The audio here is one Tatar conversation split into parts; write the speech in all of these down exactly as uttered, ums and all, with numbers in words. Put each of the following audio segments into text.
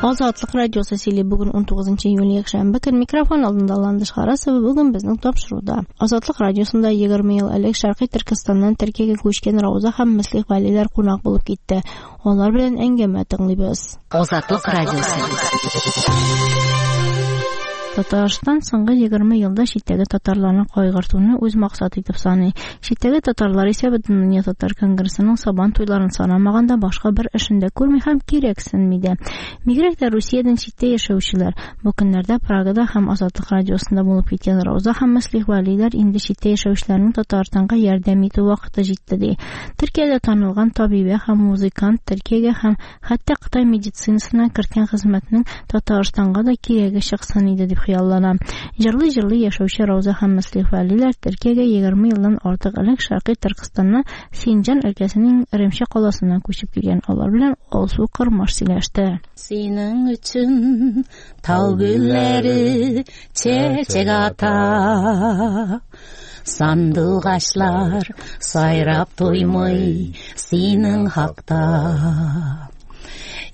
Азатлык радиосы сөйли. Бүген унтугызынчы июль якшәмбе көн. Микрофон алдында Ландыш Харасова. Бүген безнең тапшыруда Азатлык радиосында егерме ел элек Шәркый Төркестаннан Төркиягә күчкән Рауза һәм Мөслих Вәлиләр кунак булып китте. Алар белән әңгәмә тыңлыйбыз. Азатлык радиосы. Татарстан соңгы егерме елда читтәге татарларны кайгыртуны үз максаты итеп саный. Читтәге татарлар исә Бөтендөнья татар конгрессының сабан туйларын санамаганда башка бер эшен дә күрми һәм кирәксенми дә. Бигрәк тә Русиядән читтә яшәүчеләр. Бу көннәрдә Прагада һәм Азатлык радиосында булып киткән Рауза һәм Мөслих Вәлиләр инде читтә яшәүчеләрнең Татарстанга ярдәм итү вакыты җитте ди. Төркиядә танылган табибә һәм музыкант Төркиягә һәм хәтта Кытай медицинасына керткән хезмәтнең Татарстанга да кирәге чыксын иде дип хыяллана. Җырлый-җырлый яшәүче Рауза һәм Мөслих Вәлиләр Төркиягә егерме елдан артык элек Шәркый Төркестанның Синҗан өлкәсенең Эремче каласыннан күчеп килгән. Алар белән Алсу Кырмаш сөйләште. Синең өчен тау гөлләре чәчәк ата, сандугачлар сайрап туймый синең хакта.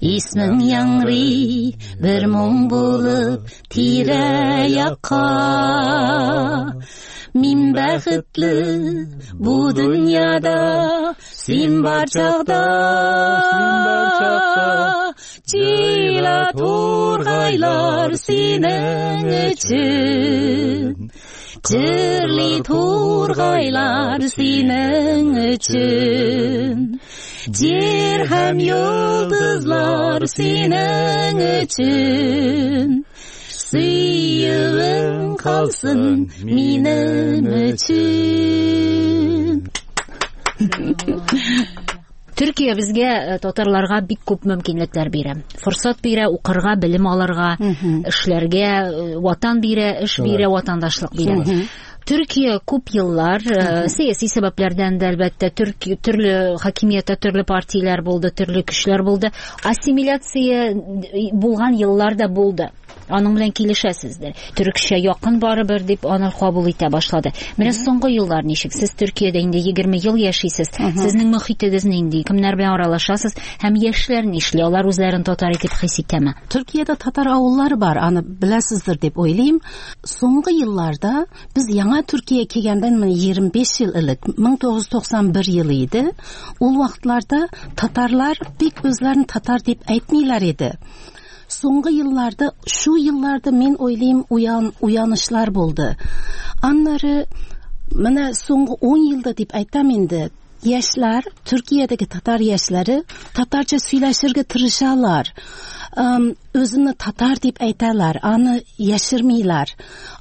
Исмең яңгырый бер моң булып тирә-якка. Мин бәхетле бу дөньяда, син бар чакта. Җыйла тургайлар синең өчен, җырлый тургайлар синең өчен. Җир һәм йолдызлар синең өчен, сөюең калсын минем өчен. Төркия безгә, э, татарларга бик күп мөмкинлекләр бирә. Форсат бирә, укырга, белем алырга, эшләргә, э, ватан бирә, эш бирә, ватандашлык бирә. Төркия күп еллар, э, сәяси сәбәпләрдән дә әлбәттә, Төрки-, төрле хакимияттә төрле партияләр булды, төрле көчләр булды. Ассимиляция булган еллар да булды. Аның белән килешәсездер. Төркчә якын барыбер дип аны кабул итә башлады. Менә соңгы еллар ничек? Сез Төркиядә инде егерме ел яшисез. Сезнең мөхитегез нинди? Кемнәр белән аралашасыз? Һәм яшьләр нишли? Алар үзләрен татар итеп хис итәме? Төркиядә татар авыллары бар, аны беләсездер дип уйлыйм. Соңгы елларда без яңа Төркия килгәндән менә егерме биш ел элек, мең тугыз йөз туксан бер ел иде. Ул вакытларда татарлар бик үзләрен татар дип әйтмиләр иде. Соңгы елларда, шу елларда мин уйлыйм, уян, уянышлар булды. Аннары менә соңгы ун елда дип әйтәм инде, яшьләр, Төркиядәге татар яшьләре татарча сөйләшергә тырышалар. Эм, үзен татар дип әйтәләр, аны яшермиләр.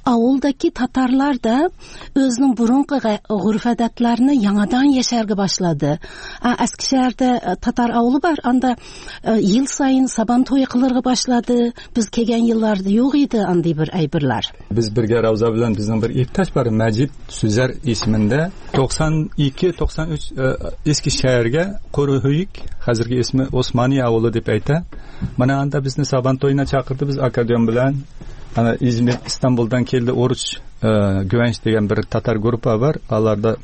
Авылдагы татарлар да үзенең борынгы га-, гореф-гадәтләрен яңадан яшәргә башлады. А, Эскишәһәрдә, э, татар авылы бар, анда, э, ел саен сабан туе кылырга башлады. Без килгән елларда юк иде андый бер әйберләр. Без бергә Рауза белән безнең бер иптәш бар, Мәҗит Сүзәр исемендә. Туксан ике, туксан өч, э, Эскишәһәргә Корыһөйк, хәзерге исме Османия авылы дип әйтә. Менә анда безне сабан туена чакырды, без аккордеон белән. Ана Измир, Истанбулдан килде Оруч, э, Гүвәнч дигән бер татар группа бар. Аларда,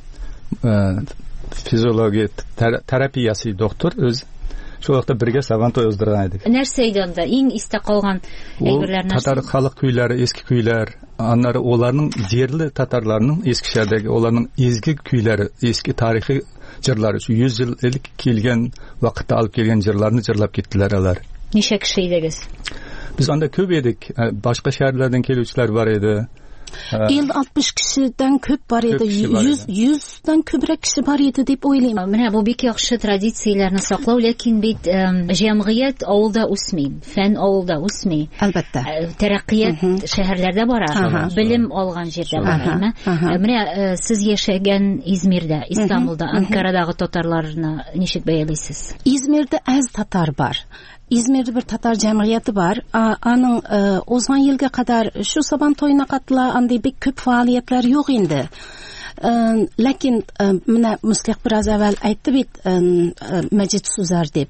э, физиология тер-, терапиясы доктор үз. Шул вакытта бергә сабан туе уздырган идек. Нәрсә иде анда? Иң истә калган Ул әйберләр нәрсә? Татар халык көйләре, эске көйләр, аннары уларның җирле татарларның Эскишәһәрдәге уларның изге көйләре, эске тарихи җырлары, шу йөз ел элек килгән вакытта алып килгән җырларны җырлап киттеләр алар. Ничә кеше идегез? Без анда күп идек. Э, башка шәһәрләрдән килүчеләр бар иде. Э, Ил алтмыш кешедән күп бар Күп иде. кеше бар Йөз, иде. йөздән күбрәк кеше бар иде дип уйлыйм. Менә бу бик яхшы традицияләрне саклау, ләкин бит, эм, җәмгыять авылда үсми, фән авылда үсми. Әлбәттә. Э, тәрәккыят Мгм. шәһәрләрдә бара, Ага. белем алган җирдә бара, Ага. әйме? Ага. Э, менә, э, сез яшәгән Измирдә, Истанбулда, Мгм. Анкарадагы татарларны ничек бәялисез? Измирдә әз татар бар. Измирдә бер татар җәмгыяте бар. А, аның, э, узган елга кадәр шу сабан туена катыла, андый бик күп фаалиятләр юк инде. Э, ләкин, э, менә Мөслих бераз әүвәл әйтте бит, э, э, Мәҗит Сүзәр дип.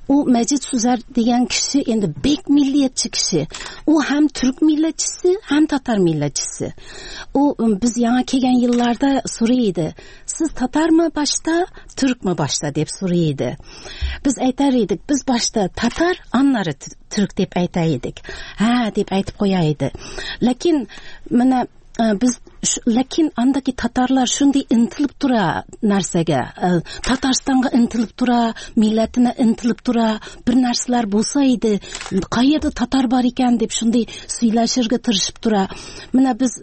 Ул Мәҗит Сүзәр дигән кеше инде бик миллиятче кеше. Ул һәм түрк милләтчесе, һәм татар милләтчесе. Ул, м, без яңа килгән елларда сорый иде. Siz Tatar mı başta, Türk mü başta dep soray edi. Biz aytar edik, biz başta Tatar, anları Türk dep aytar edik. Ha dep aytib qo'yar edi. Lekin mana biz lekin andaki Tatarlar shunday intilib tura narsaga, Tataristonga intilib tura, millatini intilib tura, bir narsalar bo'lsa edi, qayerda tatar bor ekan deb shunday suylashirga tirishib tura. Mana biz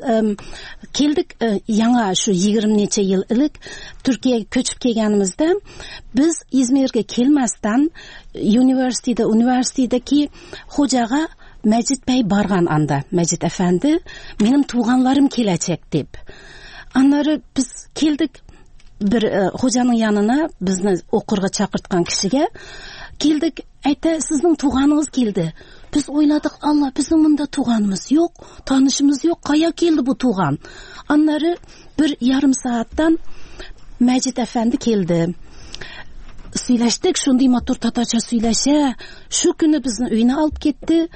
keldik yangi shu yigirma necha yil ilk Turkiyaga ko'chib kelganimizda biz İzmirga kelmasdan universitetda universitetdagi xo'jaga Mecid Bey bargan anda, Mecid Efendi, benim tuğanlarım gelecek deb. Anları biz keldik bir e, hocanın yanına, bizni oqurga chaqirtgan kishiga keldik, aytdi, sizning tug'aningiz keldi. Biz o'yladik, Allah, bizning bunda tug'animiz yo'q, tanishimiz yo'q, qaya keldi bu tug'an? Anları bir yarım saatdan Mecid Efendi keldi. Сөйләштек, шундый матур татарча сөйләшә. Shu kuni bizni uyina olib ketdi.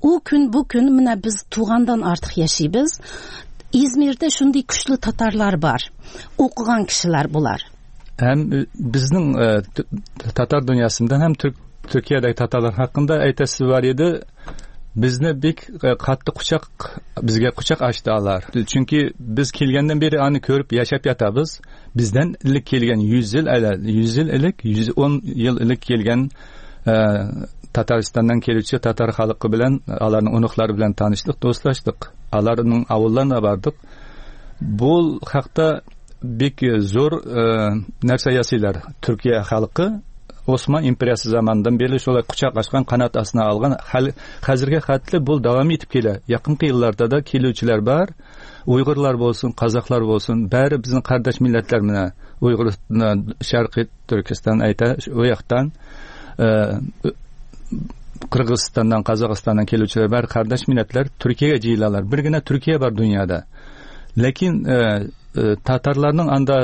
U kun bu kun mana biz tug'andan artıq yashaymiz. İzmir'de shunday kuchli tatarlar bor. O'qigan kishilar bular. Hem bizning e, Tatar dünyasından hem Türk Türkiye'deki Tatarlar hakkında aytasi var edi. Bizni bek qattiq quchoq, bizga quchoq ochdi ular. Chunki biz kelgandan beri ani ko'rib yashab yotamiz. Bizdan ilk kelgan yuz yil yuz yil ilk yuz o'n yil ilk kelgan e, Tataristandan keluvchi tatar xalqi bilan, ularning unuqlari bilan tanishdik, do'stlashdik. Ularning ovullarına bordik. Bu haqda bek zo'r e, narsa yasaylar. Turkiya xalqi Osman imperiyasi zamanından beri şolay quchoq ochgan, qanot ostına olgan, hozirga xatli bu davom etib keladi. Yaqinqi yillarda da keluvchilar bor. Uyg'urlar bo'lsin, qozoqlar bo'lsin, bari bizning qardosh millatlar mana Uyg'ur, Sharqiy Turkiston ayta, u yoqdan Qirg'izistondan, Qozog'istondan keluvchilar bari qardosh millatlar Turkiyaga jiyiladilar. Birgina Turkiya bor dunyoda. Lekin tatarlarning anda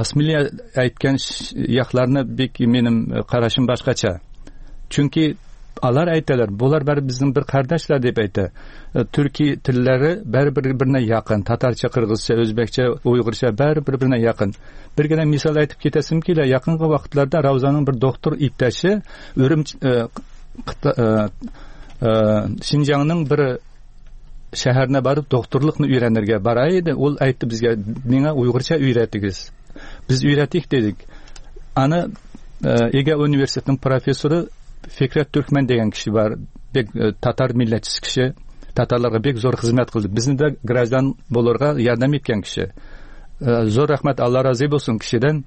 asmiliya aytgan yoqlarni bek menim qarashim boshqacha. Chunki ular aytalar, bular bari bizning bir qardoshlar deb ayta. Turkiy tillari bari bir-birine yaqin. Tatarcha, qirg'izcha, o'zbekcha, uyg'urcha bari bir-birine yaqin. Birgina misol aytib ketasim keladi. Yaqinqi vaqtlarda Ravzaning bir doktor iptashi Urumchi Şinjanning bir shaharına borib doktorlikni o'rganirga boray edi. U aytdi bizga, menga uyg'urcha o'yratingiz. Biz o'yratdik dedik. Ana Ege Universitetining professori Fikret Türkmen degan kishi bor. Bek tatar millatchisi kishi. Tatarlarga bek zo'r xizmat qildi. Bizni de grajdan bo'lurga yordam etgan kishi. Zo'r rahmat, Alloh rozi bo'lsin kishidan.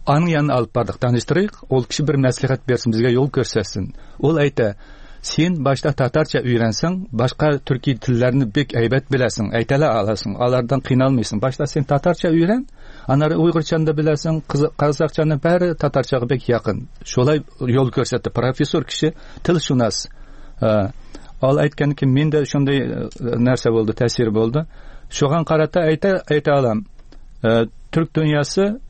Aning yanına olib bordik, tanishtirdik. U kishi bir maslahat bersin, bizga yo'l ko'rsatsin. U aytdi, sen başta tatarcha öğrensen, başka Türkiy tillerini bek aybat bilasan, aytala alasan, ulardan qiynalmaysan. Başta sen tatarcha öğren, anari Uyg'urchani da bilasan, Qozoqchani bari tatarchaga bek yaqin. Shulay yo'l ko'rsatdi professor kishi, tilshunos. Ol aytganki, menda shunday narsa bo'ldi, ta'sir bo'ldi. Shunga qarata ayta ayta olam. Türk dünyası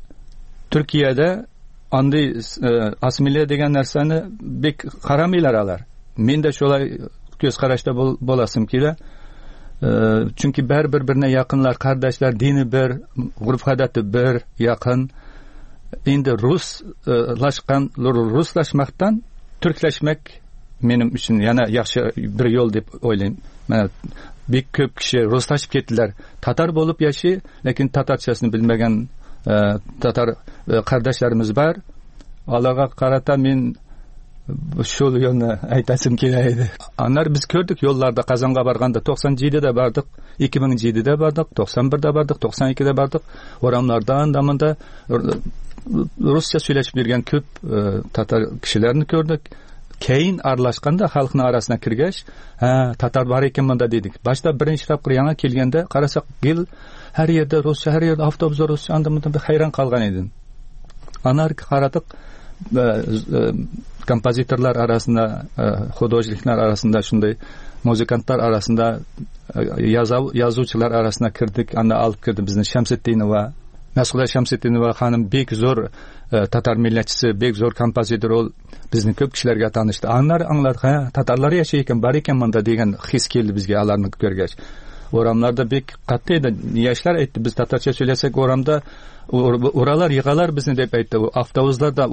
Türkiye'de anday assimilya degan narsani bek qaramaylar ular. Men de şolay ko'z qarashda bo'lasim keladi. Chunki bar bir-birine yaqinlar, qardoshlar, dini bir, urf-odati bir, yaqin. Endi ruslashgan, ruslashmoqdan turklashmak menim uchun yana yaxshi bir yo'l deb o'ylayman. Mana bek ko'p kishi ruslashib ketdilar. Tatar bo'lib yashay, lekin tatarchasini bilmagan tatar qardoshlarimiz bor. Ularga qarata men shu yo'lni aytasim keladi. Anlar biz ko'rdik yo'llarda, Qozonga borganda to'qson yettida bordik, ikki ming yettida bordik, to'qson birda bordik, to'qson ikkida bordik. O'ramlarda andamında ruscha so'ylashib yurgan ko'p tatar kishilarni ko'rdik. Keyin aralashganda xalqning orasiga kirgach, ha, tatar bor ekan bunda dedik. Boshda birinchi topqir yangi kelganda qarasak, gil har yerda ruscha, har yerda avtobusda ruscha, andamında bir hayron qolgan edim. Anar qaradik, kompozitorlar arasında, xudojniklar arasında, shunday muzikantlar arasında, yozuvchilar arasına kirdik. Anda olib kirdi bizni Shamsiddinova, Mas'uda Shamsiddinova xonim bek zo'r tatar millatchisi, bek zo'r kompozitor, ol bizni ko'p kishilarga tanishdi. Anlar angladik, ha, tatarlar yashayotgan bor ekan bunda degan his keldi bizga ularni ko'rgach. Oramlarda bek qattı yaşlar aytdi, biz tatarcha söylesak oramda uralar yig'alar bizni deb aytdi. Avtobuslarda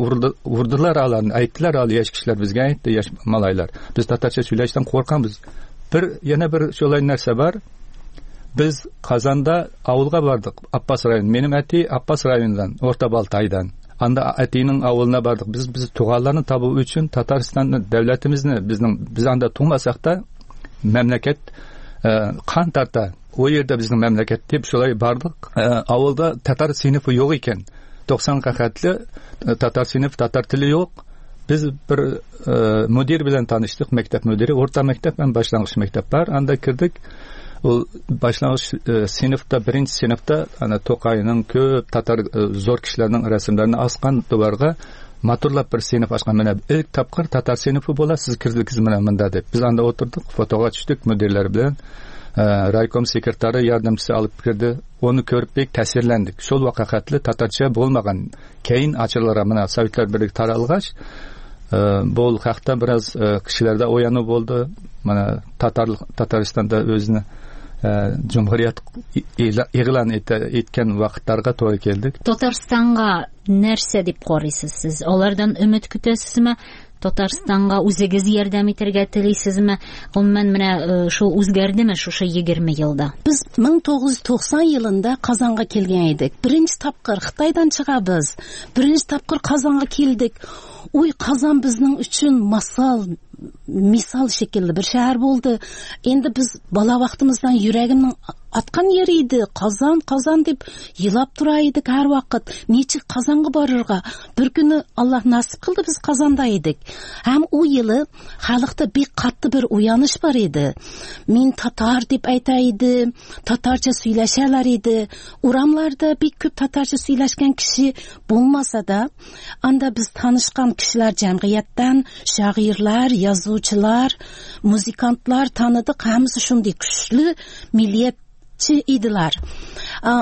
urdilar alarni, aytdilar al yaş kishilar bizga aytdi, yaş malaylar. Biz tatarcha söylashdan qo'rqamiz. Bir yana bir shulay narsa bor. Biz Kazanda avulga bardık. Abbas rayonu. Benim ati Abbas rayonundan, Orta Baltay'dan. Anda atinin avuluna bardık. Biz biz tuğanlarını tabu üçün Tataristan'ın devletimizni bizning biz anda tug'masak da memleket e, kan tarta o yerde bizim memleket deb şulay bardık. E, avulda Tatar sınıfı yok iken doksan qatli Tatar sınıf, Tatar tili yok. Biz bir e, müdür bilen tanıştık. Mektep müdürü. Orta mektep ve başlangıç mektep var. Anda kirdik. O başlangıç e, sinifda, birinci sinifda ana Toqayning ko'p tatar e, zo'r kishilarning rasmlarini asqan duvarga maturlab bir sinf ochgan. Mana ilk topqir tatar sinfi bo'la, siz kirdingiz mana bunda deb. Biz anda o'tirdik, fotoga tushdik müdirlar bilan. E, raykom sekretari yordamchisi olib kirdi. Onu ko'rib bek ta'sirlandik. Shul vaqatli tatarcha bo'lmagan. Keyin ochillar mana Sovetlar Birligi taralg'ach e, bu haqda biraz e, kishilarda o'yanuv bo'ldi. Mana Tatar Tataristonda o'zini Cumhuriyet ilan etken vaqtlarga to'g'ri keldik. Tataristonga narsa deb qaraysiz siz? Ulardan umid kutasizmi? Tataristonga o'zingiz yordam etarga tilaysizmi? Umuman mana shu o'zgardimi shu shu yigirma yilda? Biz ming to'qqiz yuz to'qson yilida Qozonga kelgan edik. Birinchi topqir Xitoydan chiqamiz. Birinchi topqir Qozonga keldik. Uy Qozon bizning uchun masal, misol şekilli bir şehir bo'ldi. Endi biz bola vaqtimizdan yuragimning atgan yeri edi. Qozon, Qozon deb yilab turar edik har vaqt. Necha Qozonga borirga. Bir kuni Alloh nasib qildi, biz Qozonda edik. Ham u yili xalqda bir qattiq bir uyanish bor edi. Men tatar deb aytar edi, tatarcha so'ylashalar edi. Uramlarda bir ko'p tatarcha so'ylashgan kishi bo'lmasa da, anda biz tanishgan kishilar jamiyatdan shoirlar, yozuvchilar, muzikantlar tanıdık. Hammasi shunday kuchli millatchi edilar.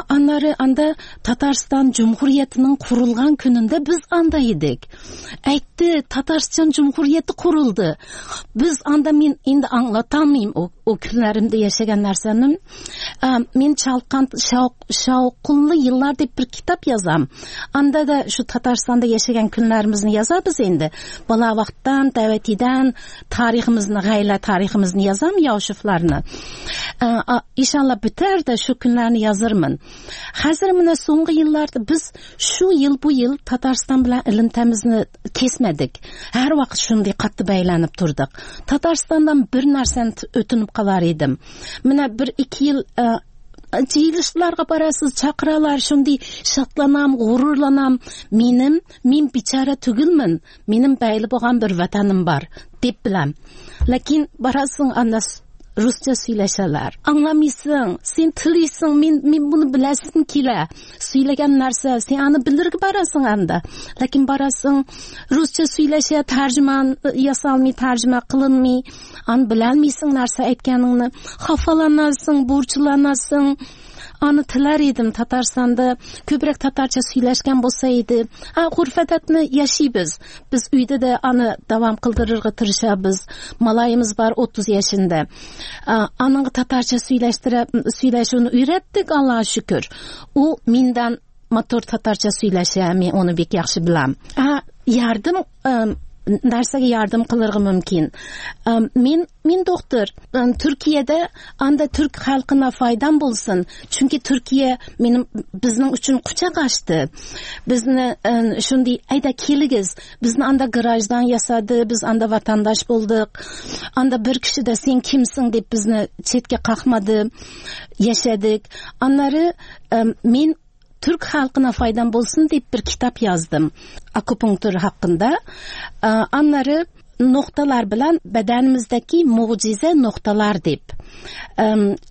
Anları anda Tatariston Cumhuriyetining qurilgan kunida biz anda edik. Aytdi, Tatariston Cumhuriyeti qurildi. Biz anda men endi anlatammayman o, o kunlarimda yashagan narsani. Men chalqan shavqinli yillar deb bir kitob yozam. Anda da shu Tataristonda yashagan kunlarimizni yozamiz endi. Bola vaqtdan, davatidan tariximizni, g'ayla tariximizni yozam, Yoshiflarni. Inshaalloh bitarda shu kunlarni yozarman. Hozir mana so'nggi yillarda biz shu yil bu yil Tatariston bilan ilimtamizni kesmadik. Har vaqt shunday qattiq baylanib turdik. Tataristondan bir narsani o'tinib qolar edim. Mana bir ikki yil jiyilishlarga borasiz, chaqiralar, shunday shotlanam, g'ururlanam. Menim, men bechora tugilman. Menim bayli bo'lgan bir vatanim bor deb bilam. Lekin borasing anda Rusça söyleşerler. Anlamıyorsun. Sen tiliysin. Men, men bunu bilesin kile. Söylegen narsa. Sen anı bilir ki barasın anda. Lakin barasın Rusça söyleşe tercüman yasalmay, tercüme kılınmay. An bilenmeysin narsa aytganingni. Xafalanasın, burçlanasın. Anı tilar edim Tataristonda ko'proq tatarcha so'ylashgan bo'lsa edi. Ha, urf-odatni yashaymiz. Biz uyda da anı davom qildirishga tirishamiz. Malayimiz bor o'ttiz yoshida. Aningga tatarcha so'ylashtirib, so'ylashini o'rgatdik, Allohga shukr. U mendan motor tatarcha so'ylasha, men uni bek yaxshi bilaman. Ha, yardım narsaga yardım qilirg'i mumkin. Men men doktor. Turkiyada anda turk xalqina foydam bo'lsin. Chunki Turkiya menim bizning uchun quchoq ochdi. Bizni shunday ayda keligiz. Bizni anda grajdan yasadi, biz anda vatandosh bo'ldik. Anda bir kishida sen kimsin deb bizni chetga qoqmadi. Yashadik. Anlari men Türk halkına faydam bolsun deyip bir kitap yazdım. Akupunktur hakkında. Anları noktalar bilen bedenimizdeki mucize noktalar deyip.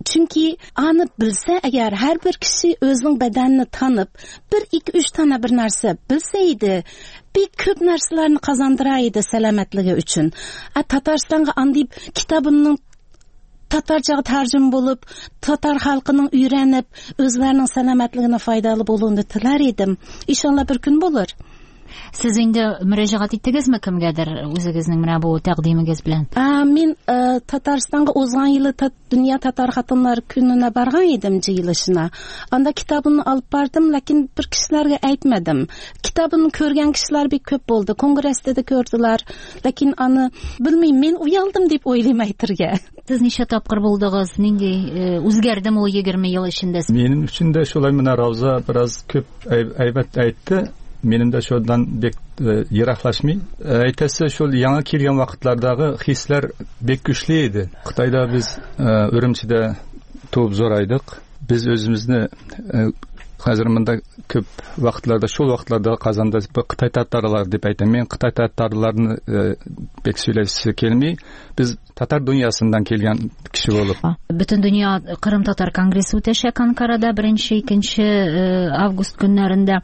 Çünkü anı bilse eğer her bir kişi özünün bedenini tanıp bir iki üç tane bir narsa bilseydi bir köp narsalarını kazandıraydı selametligi üçün. Tataristan'a andayıp kitabımın Tatarcaga tarjim bo'lib, tatar xalqining uyranib, o'zlarining salomatligini foydali bo'lishini tilar edim. Inshaalloh bir kun bo'lar. Сез инде мөрәҗәгать иттегезме кемгәдер үзегезнең менә бу тәкъдимегез белән? А, мин э, Татарстанга узган елы Дөнья татар хатыннары көненә барган идем җыелышына. Анда китабын алып бардым, ләкин бер кешеләргә әйтмәдем. Китабын күргән кешеләр бик күп булды. Конгресста да күрделәр. Ләкин аны белмим, мин уялдым дип уйлыйм әйтергә. Сез ничә тапкыр булдыгыз? Нинди үзгәрдеме ул егерме ел эчендә? Минем өчен дә шулай менә Рауза бераз күп әйбәт әйтте. Минем дә шуннан бик ераклашмый. Әйтәсе шул яңа килгән вакытлардагы хисләр бик көчле иде. Кытайда без Үрүмчидә туып зурайдык. Без үзебезне хәзер монда күп вакытларда, шул вакытларда Казанда Кытай татарлары дип әйтәм. Мин Кытай татарларны бик сөйләсе килми. Без татар дөньясыннан килгән кеше булып. Бөтен дөнья Кырым татар конгрессы үтәчәк Анкарада беренче, икенче август көннәрендә.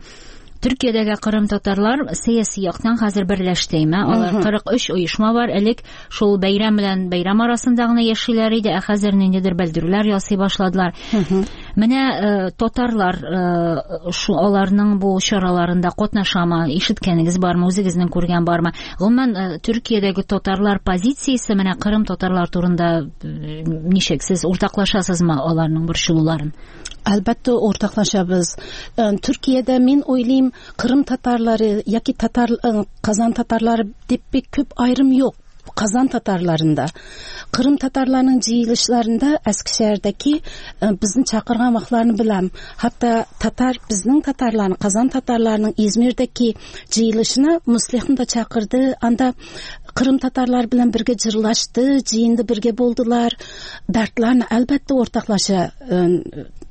Төркиядәге Кырым татарлар сәяси яктан хәзер берләштеме? Алар кырык өч оешма бар. Элек шул бәйрәм белән бәйрәм арасында гына яшиләр иде, ә хәзер ниндидер белдерүләр ясый башладылар. Менә татарлар шу аларның бу чараларында катнашамы? Ишеткәнегез бармы? Үзегезнең күргән бармы? Гомумән, Төркиядәге татарлар позициясе менә Кырым татарлар турында ничек? Сез уртаклашасызмы аларның борчылуларын? Әлбәттә уртаклашабыз. Төркиядә мин уйлыйм, Кырым татарлары яки татар Казан татарлары дип бик күп аерым юк. Казан татарларында, Кырым татарларының җыелышларында Эскишehirдәге безне чакырган вакытларны беләм. Хәтта татар безнең татарларны, Казан татарларының Измирдәге җыелышына Муслихны да чакырды. Анда Кырым татарлар белән бергә җырлашты, җыенда бергә булдылар. Дәртләрне әлбәттә уртаклаша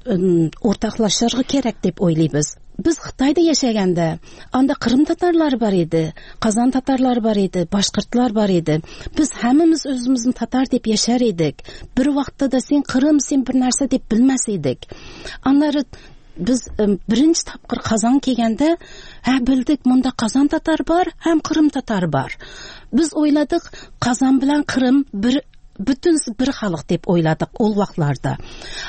уртаклашырга кирәк дип уйлыйбыз. Без Кытайда яшәгәндә, анда Кырым татарлары бар иде, Казан татарлары бар иде, башкортлар бар иде. Без һәммәбез үзебезне татар дип яшәр идек. Бер вакытта да син Кырым, син бер нәрсә дип белмәс идек. Аннары без беренче тапкыр Казан килгәндә, һә белдек, монда Казан татар бар, һәм Кырым татар бар. Без уйладык, Казан белән Кырым бер бүтүн бер халык дип уйладык ул вакытларда.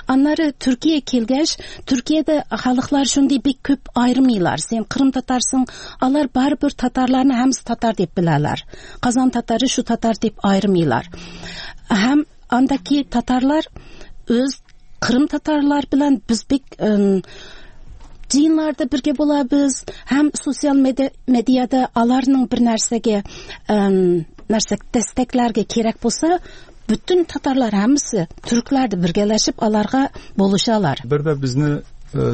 Аннары Төркия килгәч, Төркиядә халыклар шундый бик күп аермыйлар. Син Кырым татарсың, алар барыбер татарларны һәммәсе татар дип беләләр. Казан татары шу татар дип аермыйлар. Һәм андагы татарлар үз Кырым татарлар белән без бик җыеннарда бергә булабыз, һәм социал медиада аларның бер нәрсәгә нәрсә дәстәкләргә кирәк булса, бүтән татарлар һәммәсе түркләрдә бергәләшеп аларга булышалар. Бер дә безне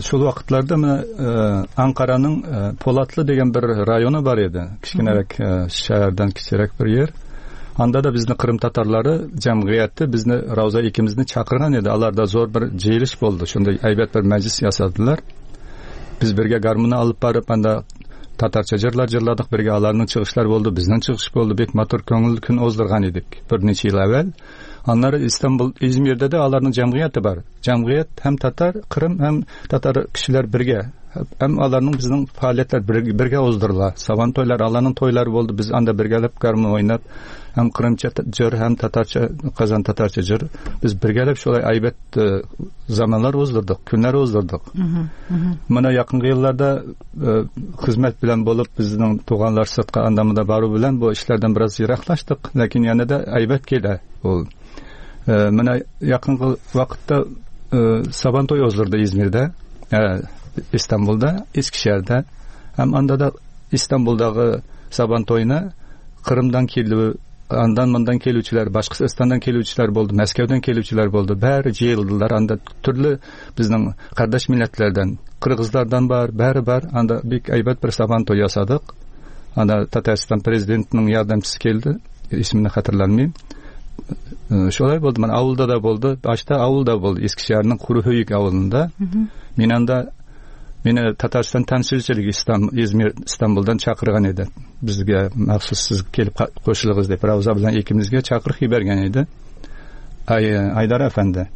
шул вакытларда менә Анкараның Полатлы дигән бер районы бар иде. Кечкенәрәк шәһәрдән кечерәк бер җир. Анда да безне Кырым татарлары җәмгыяте безне Рауза икебезне чакырган иде. Аларда зур бер җыелыш булды. Шундай әйбәт бер мәҗлис ясадылар. Без бергә гармуны алып барып анда татарча җырлар җырладык, бергә аларның чыгышлары булды, безнең чыгыш булды. Бик матур күңелле көн уздырган идек берничә ел әүвәл. Аннары Истанбул, Измирдә дә аларның җәмгыяте бар. Җәмгыять һәм татар, Кырым һәм татар кешеләр бергә. Һәм аларның безнең фаалиятләр бергә уздырыла. Сабан туйлар, аларның туйлары булды. Без анда бергәләп гармун уйнап, һәм кырымча җыр, һәм татарча, Казан татарча җыр. Без бергәләп шулай әйбәт заманнар уздырдык, көннәр уздырдык. Менә якынгы елларда хезмәт белән булып, безнең туганнар сыртка анда-монда бару белән бу эшләрдән бераз ераклаштык, ләкин янә дә әйбәт килә ул. Менә якынгы вакытта Сабан туй уздырды Измирдә, Истанбулда, Искишehirдә. Һәм анда да Истанбулдагы Сабан туена Кырымдан килү, андан мондан келүүчүлөр, Башкортстандан келүүчүлөр болду, Мәскәүдән келүүчүлөр болду. Бәре жыйылдылар. Анда төрлө безнең кардаш милләтләрдән, кыргызлардан бар, бәре бар. Анда бик әйбәт бер Сабан туй ясадык. Анда Татарстан президентының ярдәмчесе килде, исемен хәтерләмим. Шулай булды. Мен авылда да булды. Башта авылда булды. Искишehirнең Курухөйүк авылында. Мин анда мине Татарстан тәмсилчелеге İzmir, İstanbuldan чакырган иде. Безгә махсус сез килеп кушылыгыз дип Рауза белән икебезгә чакырып җибәргән иде. Ай, Айдар әфәнде.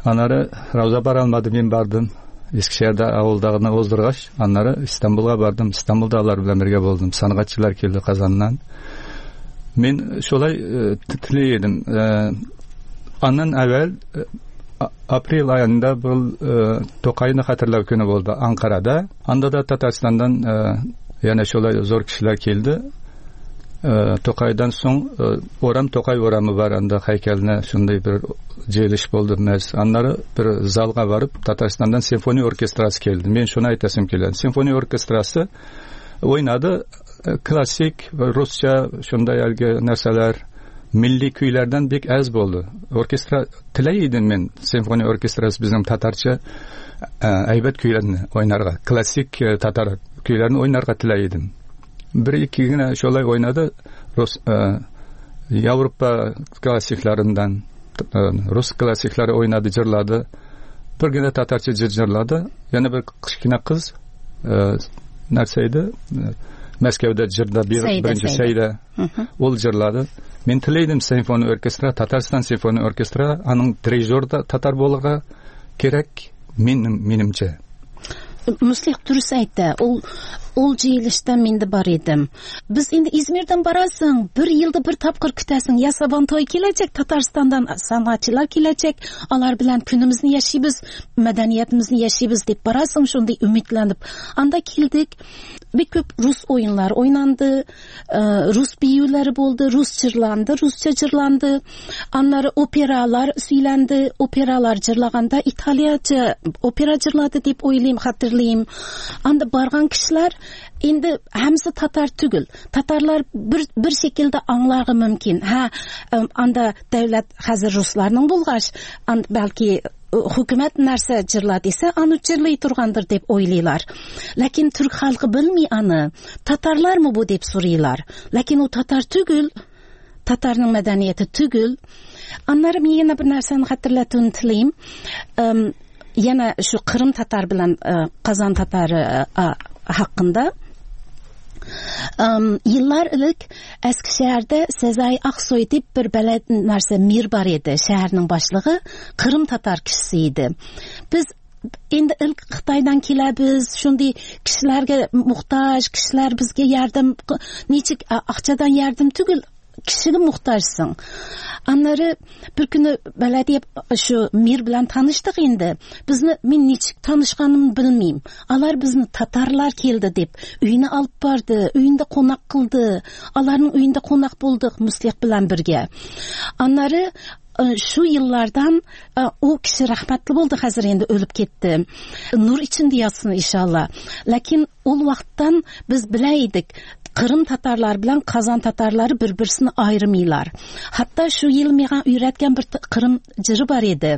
Аннары Рауза бара алмады, мин бардым. Eskişehir'de авылдагыны уздыргач, аннары Истанбулга бардым. Истанбулда алар белән бергә булдым. Сәнгатьчеләр килде Казаннан. Мин шулай тели идем. Аннан әүвәл Aprel ayında bu e, Tokay'ны hatırlav günü oldu Ankara'da. Anda da Tataristan'dan e, yani şöyle zor kişiler geldi. E, Tokay'dan son e, oram Tokay oramı var anda heykeline şunday bir jıyılış boldu. Anları bir zalga varıp Tataristan'dan senfoni orkestrası geldi. Men şunu aytasım keldi. Senfoni orkestrası oynadı. Klasik Rusça şunday algi narsalar milli kuylardan bek az bo'ldi. Orkestra tilaydim men senfoniya orkestrasi bizning tatarcha aybat kuylarni o'ynarga, klassik tatar kuylarini o'ynarga tilaydim. Bir ikkigina shulay o'ynadi. Rus Yevropa klassiklaridan rus klassiklari o'ynadi, jirladi. Birgina tatarcha jir jirladi. Yana bir kichkina qiz narsa edi. Moskvada jirda birinchi Sayda ol jirladi. Men tilaydim senfoniya orkestra, Tataristan senfoniya orkestra, aning dirijori da tatar bo'lg'i kerak menim menimcha. Muslih durust aytdi. Ul ul jıyılışda men de bor edim. Biz endi İzmirdan borasan, bir yilda bir topqir kutasan, ya Sabantoy kelajak, Tataristandan san'atchilar kelajak, ular bilan kunimizni yashaymiz, madaniyatimizni yashaymiz deb borasan, shunday umidlanib. Anda keldik. Bir ko'p rus o'yinlari o'ynandi, rus biyulari bo'ldi, rus jirlandi, ruscha jirlandi. Anlari operalar suylandi, operalar jirlaganda italiyacha opera jirladi deb o'ylayman, xatirlayman. Anda borgan kishilar endi hammasi tatar tugul. Tatarlar bir bir şekilde anglarga mumkin. Ha, anda davlat hozir ruslarning bo'lg'ach, balki hukumat narsa jirla desa, anu jirlay turgandir deb o'ylaylar. Lekin turk xalqi bilmay ani, tatarlarmi bu deb so'raylar. Lekin u tatar tugul, tatarning madaniyati tugul. Anlari men yana bir narsani xatirlatishni tilayman. Yana shu Qrim tatar bilan Qozon tatari haqqında. Um, yıllar ilk Eskişehir'de Sezai Aksoy deb bir beled narsa mir bar edi. Şehirning başlığı Qrim tatar kishisi edi. Biz endi ilk Xitoydan kelamiz, shunday kishilarga muhtoj, kishilar bizga yardım, nechik aqchadan yardım tugul, kishiga muhtojsan. Anlari bir kuni belediye shu mir bilan tanishdik endi. Bizni men nechik tanishganimni bilmayman. Ular bizni tatarlar keldi deb uyini olib bordi, uyinda qo'noq qildi. Ularning uyinda qo'noq bo'ldik Muslih bilan birga. Anlari shu yillardan u kishi rahmatli bo'ldi, hozir endi o'lib ketdi. Nur içinde yotsin inshaalloh. Lekin ul vaqtdan biz bilaydik, Qrim tatarlar bilan Qozon tatarlari bir-birisini ayirmaylar. Hatto shu yil menga uyratgan bir Qrim jiri bor edi.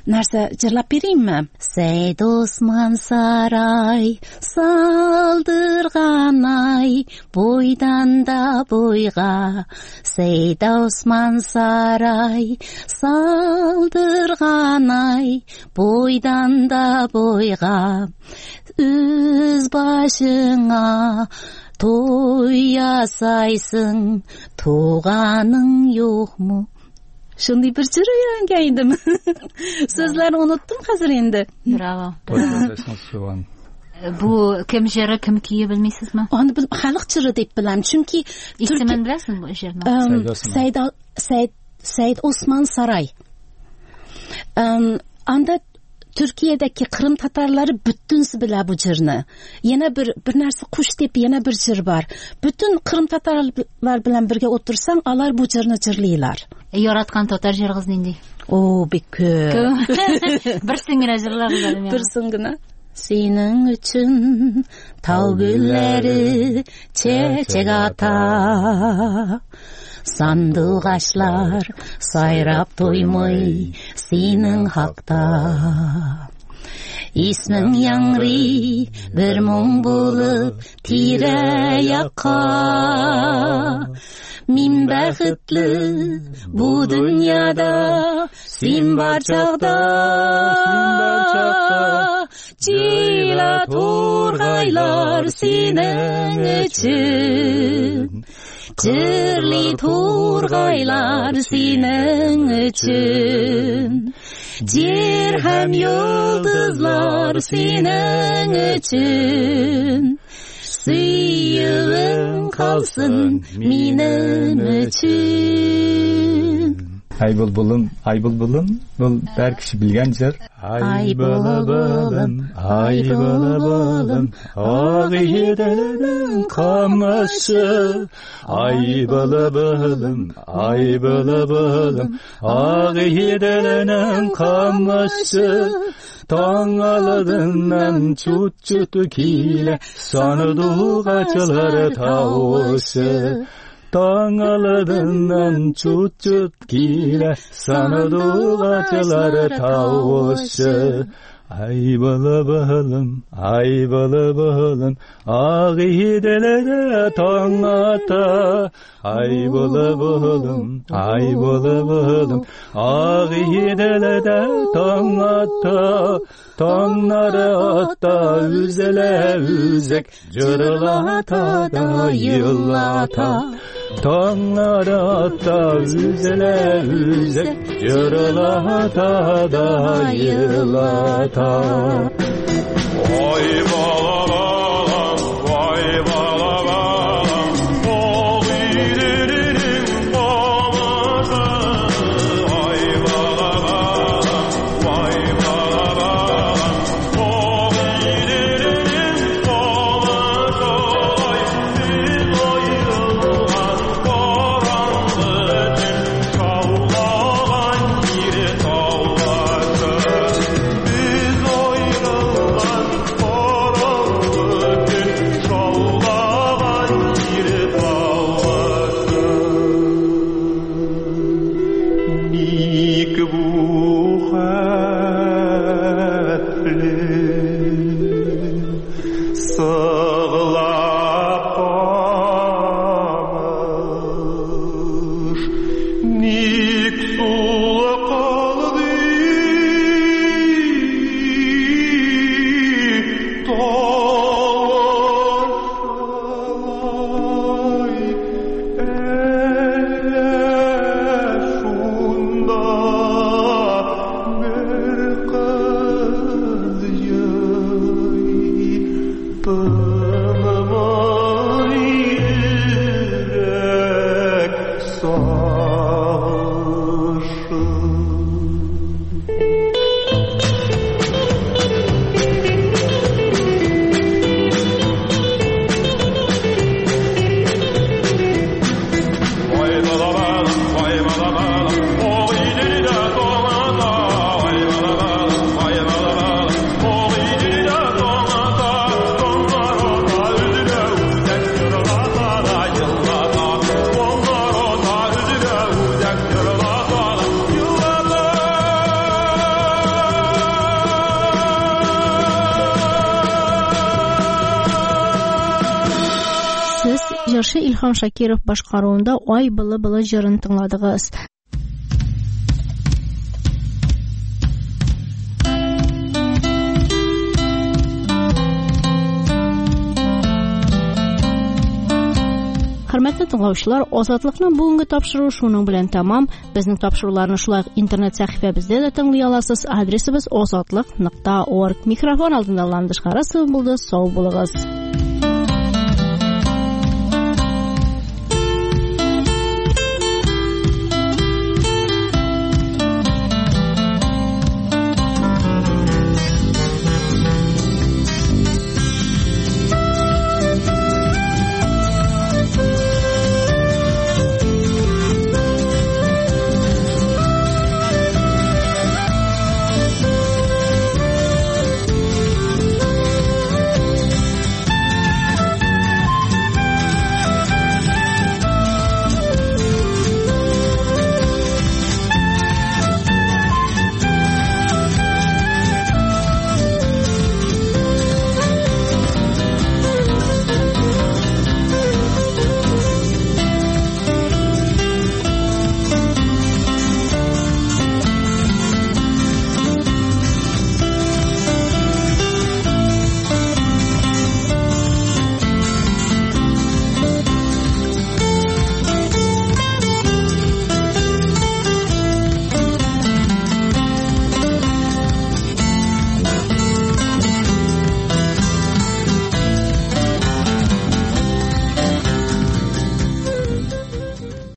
Narsa jirlab beraymi? Said Osman saray saldırganay boydan da boyga. Said Osman saray saldırganay boydan da boyga. Üz başına toy yasaysın, tuğanın yok mu? Shunday bir jir o'ylangan edim. So'zlarni unutdim hozir endi. Bravo. Bu kim jiri, kim kuyi bilmaysizmi? Uni xalq jiri deb bilaman, chunki ismini bilasizmi bu jirni? Said Said Said Osman Saray. Anda Türkiye'deki Qrim tatarlari butunsi bila bu jirni. Yana bir bir narsa qush deb yana bir jir bor. Butun Qrim tatarlar bilan birga o'tirsang, ular bu jirni jirlaylar. E, yaratgan tatar jirg'iz nendek? O, bek ko'p. Bir singina jirlar biladim. Bir singina. Sening uchun tog' gullari chechak ata. Sandug'ashlar sayrab to'ymay sening haqda. Isming yangri bir mung bo'lib tira-yoqqa. Min baxtli bu dunyoda sen bor chog'da. Jila to'rg'aylar sening uchun, jirli to'rg'aylar sening uchun, yer ham yulduzlar sening uchun, suyug'ing qolsin mening uchun. Ay bulbulum, ay bulbulum, bu һәр кеше белгән җыр. Ay bulbulum, ay bulbulum, Agıdelinin kamışı. Ay bulbulum, ay bulbulum, Agıdelinin kamışı. Таң алдыннан чут-чут килә сандугачлар тавышы. Таң алдыннан чут-чут килә сандугачлар тавышы. Ay bulbulum, ay bulbulum, Agıdelere taң ата. Ay bulbulum, ay bulbulum, Agıdelere taң ata. Taňlar ata üzele üzek, cırlata da yıllata. Taňlar ata üzele üzek, cırlata da yıllata. Vay bala balam, vay bala balam, Agıdelinin kamışı. Vay bala balam, vay bala balam, Agıdelinin kamışı. Biz ayrılgan karanlık tün, şavlagan bir tavlaşı. Biz ayrılgan karanlık tün, şavlagan bir tavlaşı. Ник бу хәтле сыглап камыш, ник сулы калды тавышлай, әллә шунда бер кыз елый, тынмый йөрәк сагышы. Vay bala balam, vay bala balam, Agıdelide taң ata. Vay bala balam, vay bala balam, Agıdelide taң ata. Taňlar ata üzüle üzek, cırlata da yıllata. Taňlar ata üzüle üzek, cırlata da yıllata. Сез җырчы Илһам Шакиров башкаруында Ай былы-былы җырын тыңладыгыз. Хөрмәтле тыңлаучылар, Азатлыкның бүгенге тапшыруы шуның белән тәмам. Безнең тапшыруларны шулай ук интернет сәхифәбездә дә тыңлый аласыз. Адресыбыз азатлык нокта орг. Микрофон алдында Ландыш Харасова булды. Сау булыгыз.